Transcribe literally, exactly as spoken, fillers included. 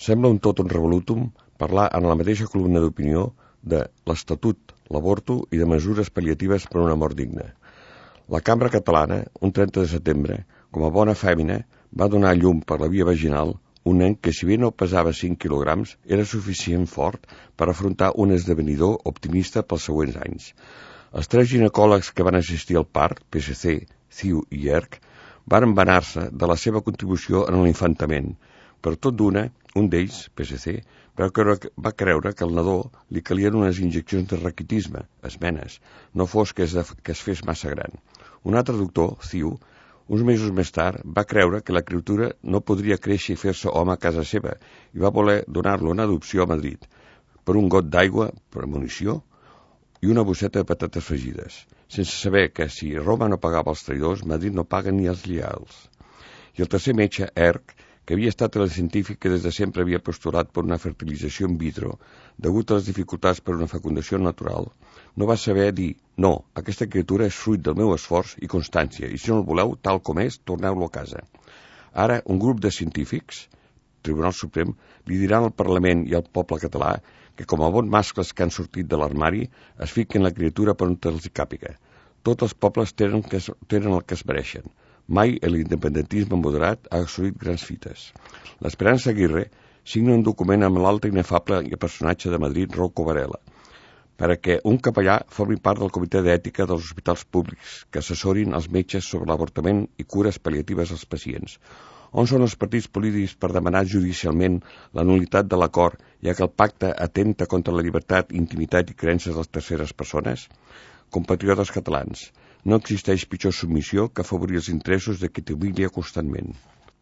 Sembla un totum revolutum parlar en la mateixa columna d'opinió de l'Estatut, l'avorto i de mesures pal·liatives per a una mort digna. La Cambra Catalana, un trenta de setembre, com a bona fèmina, va donar a llum per la via vaginal un nen que, si bé no pesava cinc quilograms, era suficient fort per afrontar un esdevenidor optimista pels següents anys. Els tres ginecòlegs que van assistir al part, P S C, C I U i E R C, van vanar-se de la seva contribució en l'infantament. Per tot d'una, un d'ells, P S C, va creure, va creure que al nadó li calien unes injeccions de raquitisme, esmenes, no fos que es, que es fes massa gran. Un altre doctor, C I U, uns mesos més tard, va creure que la criatura no podria créixer i fer-se home a casa seva i va voler donar-lo en adopció a Madrid per un got d'aigua, per munició i una bosseta de patates fregides, sense saber que si Roma no pagava els traïdors, Madrid no paga ni els lleials. I el tercer metge, E R C, que havia estat el científic que des de sempre havia postulat per una fertilització in vitro, degut a les dificultats per una fecundació natural, no va saber dir, no, aquesta criatura és fruit del meu esforç i constància, i si no el voleu, tal com és, torneu-lo a casa. Ara, un grup de científics, Tribunal Suprem, li diran al Parlament i al poble català que, com a bons mascles que han sortit de l'armari, es fiquen la criatura per on els hi càpiga. Tots els pobles tenen, que, tenen el que es mereixen. Mai l'independentisme moderat ha assolit grans fites. L'Esperança Aguirre signa un document amb l'altre inefable personatge de Madrid, Rocco Varela, perquè un capellà formi part del comitè d'ètica dels hospitals públics que assessorin els metges sobre l'avortament i cures pal·liatives als pacients. On són els partits polítics per demanar judicialment la nul·litat de l'acord, ja que el pacte atenta contra la llibertat, intimitat i creences de les terceres persones? Compatriotes catalans, no existeix pitjor submissió que afavorir els interessos de qui t'humilia constantment.